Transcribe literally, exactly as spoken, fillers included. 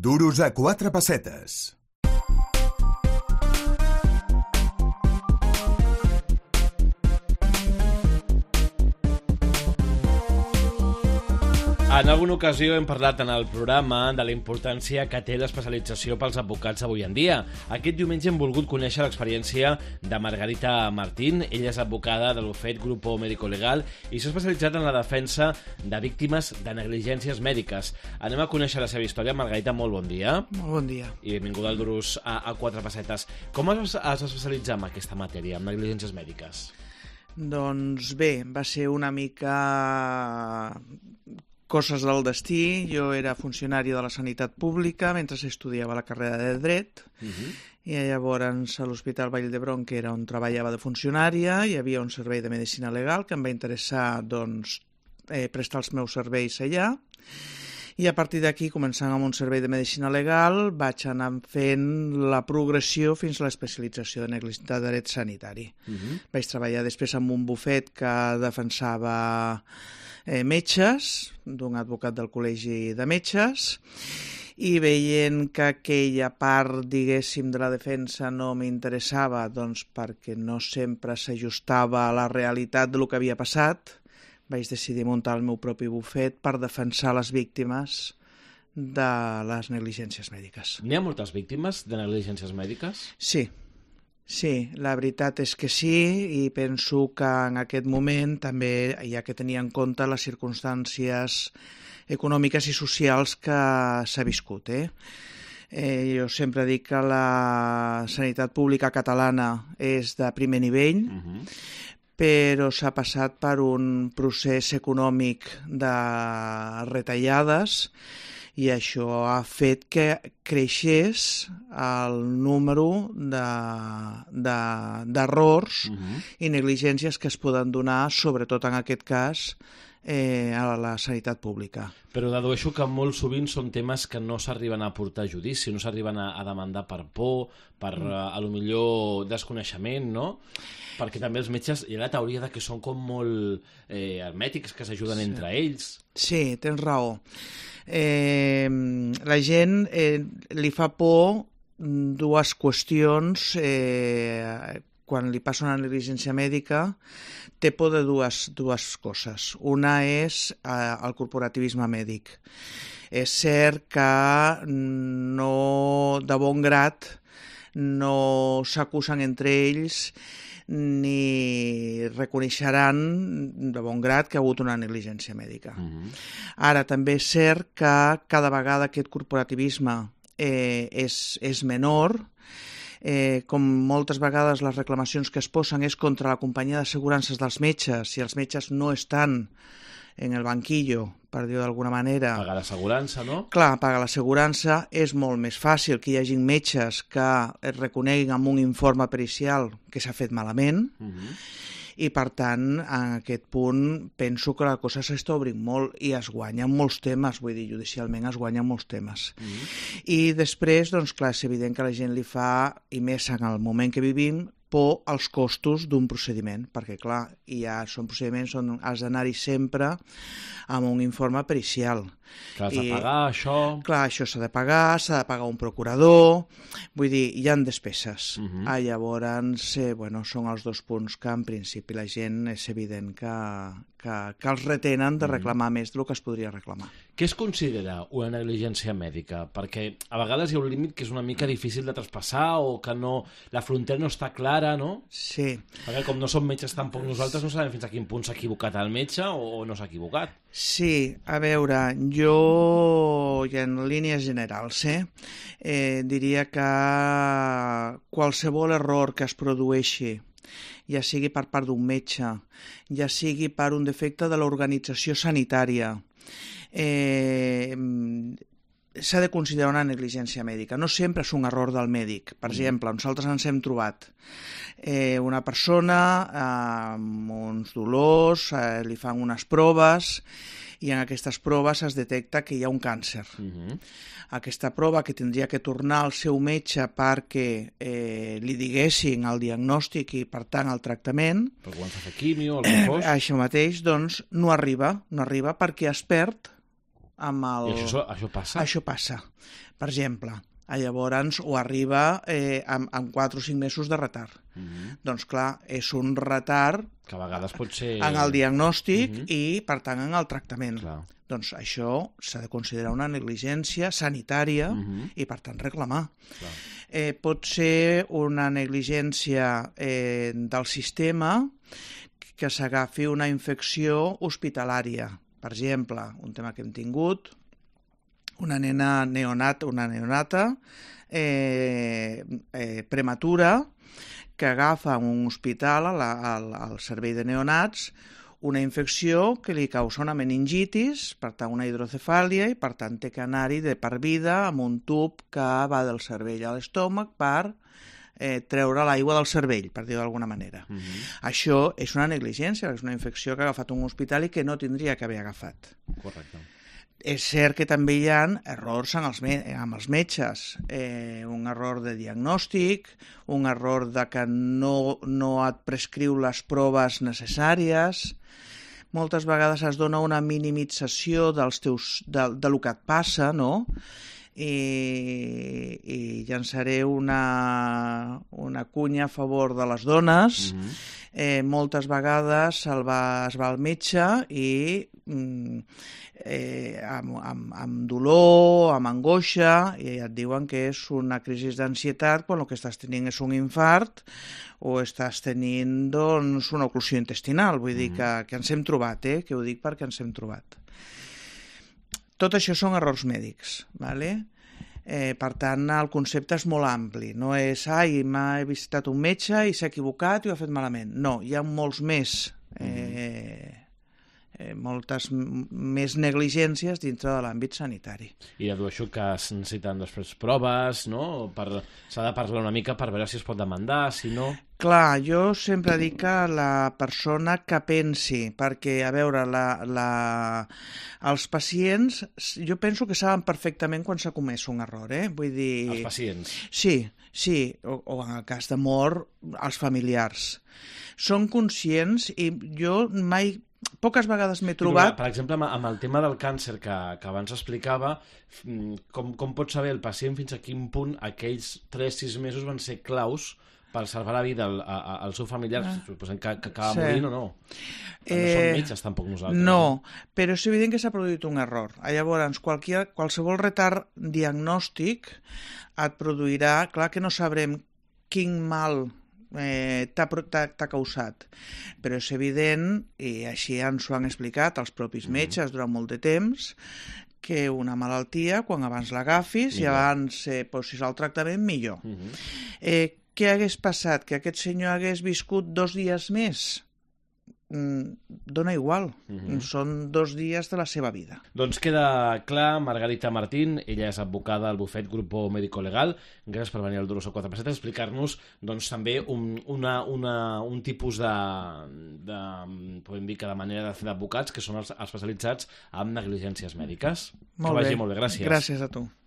Duros a quatre pessetes. En alguna ocasió hem parlat en el programa de la importància que té l'especialització pels advocats avui en dia. Aquest diumenge hem volgut conèixer l'experiència de Margarita Martín. Ella és advocada de l'Ufet Grupo Médico Legal i s'ha especialitzat en la defensa de víctimes de negligències mèdiques. Anem a conèixer la seva història. Margarita, molt bon dia. Molt bon dia. I benvinguda al Duros a, a quatre pessetes. Com has, has especialitzat en aquesta matèria, en negligències mèdiques? Doncs bé, va ser una mica coses del destí. Jo era funcionari de la sanitat pública mentre estudiava la carrera de dret. Uh-huh. I llavors a l'Hospital Vall d'Hebron, que era on treballava de funcionària, hi havia un servei de medicina legal que em va interessar doncs, eh, prestar els meus serveis allà. I a partir d'aquí, començant amb un servei de medicina legal, vaig anar fent la progressió fins a l'especialització de negligència de dret sanitari. Uh-huh. Vaig treballar després en un bufet que defensava eh, metges, d'un advocat del Col·legi de Metges, i veient que aquella part, diguéssim, de la defensa no m'interessava, doncs perquè no sempre s'ajustava a la realitat del que havia passat, vaig decidir muntar el meu propi bufet per defensar les víctimes de les negligències mèdiques. N'hi ha moltes víctimes de negligències mèdiques? Sí, sí, la veritat és que sí, i penso que en aquest moment també hi ha que tenir en compte les circumstàncies econòmiques i socials que s'ha viscut. Eh? Eh, jo sempre dic que la sanitat pública catalana és de primer nivell, uh-huh. però s'ha passat per un procés econòmic de retallades i això ha fet que creixés el número d'errors de, de, uh-huh. i negligències que es poden donar, sobretot en aquest cas, eh, a la sanitat pública. Però dedueixo que molt sovint són temes que no s'arriben a portar a judici, no s'arriben a, a demandar per por, per mm. a, a lo millor desconeixement, no? Perquè també els metges hi ha la teoria de que són com molt eh, hermètics, que s'ajuden sí. entre ells. Sí, tens raó. Eh, la gent eh, li fa por dues qüestions. Eh, quan li passa una negligència mèdica, té por de dues, dues coses. Una és eh, el corporativisme mèdic. És cert que no, de bon grat no s'acusen entre ells ni reconeixeran de bon grat que ha hagut una negligència mèdica. Uh-huh. Ara, també és cert que cada vegada aquest corporativisme eh, és, és menor. Eh, com moltes vegades les reclamacions que es posen és contra la companyia d'assegurances dels metges, si els metges no estan en el banquillo, per dir-ho d'alguna manera. Pagar l'assegurança, no? Clar, pagar l'assegurança és molt més fàcil que hi hagi metges que es reconeguin amb un informe pericial que s'ha fet malament, uh-huh. i per tant, en aquest punt, penso que la cosa s'està obrint molt i es guanyen molts temes, vull dir, judicialment es guanyen molts temes. Mm-hmm. I després, doncs clar, és evident que la gent li fa, i més en el moment que vivim, por als costos d'un procediment, perquè clar, ja són procediments on has d'anar-hi sempre amb un informe pericial. Que has de I, pagar això... Clar, això s'ha de pagar, s'ha de pagar un procurador, vull dir, hi ha despeses. Uh-huh. Ah, llavors, eh, bueno, són els dos punts que en principi la gent és evident que, que, que els retenen de reclamar uh-huh. més del que es podria reclamar. Què es considera una negligència mèdica? Perquè a vegades hi ha un límit que és una mica difícil de traspassar o que no, la frontera no està clara, no? Sí. Perquè com no som metges tampoc nosaltres no sabem fins a quin punt s'ha equivocat el metge o no s'ha equivocat. Sí, a veure, jo, i en línies generals, eh, eh, diria que qualsevol error que es produeixi, ja sigui per part d'un metge, ja sigui per un defecte de l'organització sanitària, eh, s'ha de considerar una negligència mèdica. No sempre és un error del mèdic. Per exemple, nosaltres ens hem trobat eh, una persona eh, amb uns dolors, eh, li fan unes proves i en aquestes proves es detecta que hi ha un càncer. Uh-huh. Aquesta prova que tindria que tornar al seu metge perquè eh, li diguessin el diagnòstic i, per tant, el tractament. Per quan s'ha fet quimio, el que fos. Això mateix, doncs, no arriba, no arriba perquè es perd amb el... I això, això passa? Això passa. Per exemple, llavors ho arriba eh, amb, amb quatre o cinc mesos de retard. Uh -huh. Doncs clar, és un retard que a vegades pot ser... en el diagnòstic uh -huh. i, per tant, en el tractament. Clar. Doncs això s'ha de considerar una negligència sanitària uh -huh. i, per tant, reclamar. Clar. Eh, pot ser una negligència eh, del sistema que s'agafi una infecció hospitalària. Per exemple, un tema que hem tingut, una nena neonata, una neonata eh, eh, prematura que agafa en un hospital, al, al servei de neonats, una infecció que li causa una meningitis, per tant una hidrocefàlia, i per tant té que anar-hi de per vida amb un tub que va del cervell a l'estómac per eh, treure l'aigua del cervell, per dir-ho d'alguna manera. Uh -huh. Això és una negligència, és una infecció que ha agafat un hospital i que no tindria que haver agafat. Correcte. És cert que també hi ha errors amb els, me amb els metges, eh, un error de diagnòstic, un error de que no, no et prescriu les proves necessàries. Moltes vegades es dona una minimització dels teus, de, de lo que et passa, no? I, i llançaré una, una cunya a favor de les dones. Mm-hmm. eh, moltes vegades el va, es va al metge i mm, eh, amb, amb, amb dolor, amb angoixa, i et diuen que és una crisi d'ansietat quan el que estàs tenint és un infart o estàs tenint doncs, una oclusió intestinal. Vull dir que, que ens hem trobat, eh? que ho dic perquè ens hem trobat. Tot això són errors mèdics, ¿vale? Eh, per tant, el concepte és molt ampli. No és, ai, m'ha visitat un metge i s'ha equivocat i ho ha fet malament. No, hi ha molts més, eh, eh, moltes més negligències dintre de l'àmbit sanitari. I dedueixo que es necessiten després proves, no? Per... S'ha de parlar una mica per veure si es pot demandar, si no... Clar, jo sempre dic que la persona que pensi, perquè, a veure, la, la... els pacients, jo penso que saben perfectament quan s'ha comès un error, eh? Vull dir... Els pacients? Sí, sí, o, o en el cas de mort, els familiars. Són conscients i jo mai... Poques vegades m'he trobat... Per exemple, amb el tema del càncer que, que abans explicava, com, com pot saber el pacient fins a quin punt aquells tres a sis mesos van ser claus per salvar la vida al, a, al seu familiar, ah. suposem que, que acaba sí. morint o no. Eh, no som metges tampoc nosaltres. No, però és evident que s'ha produït un error. Llavors, qualsevol, qualsevol retard diagnòstic et produirà... Clar que no sabrem quin mal eh, t'ha causat, però és evident, i així ens ho han explicat els propis metges durant molt de temps, que una malaltia, quan abans l'agafis i abans eh, posis el tractament, millor. Uh -huh. eh, què hagués passat? Que aquest senyor hagués viscut dos dies més? Mm, dona igual, uh-huh. Són dos dies de la seva vida. Doncs queda clar, Margarita Martín, ella és advocada al bufet Grupo Médico Legal. Gràcies per venir al Duro quatre per set a explicar-nos doncs, també un, una, una, un tipus de, de, podem dir que de manera de fer d'advocats, que són els especialitzats en negligències mèdiques. Molt que vagi bé. molt bé, gràcies. Gràcies a tu.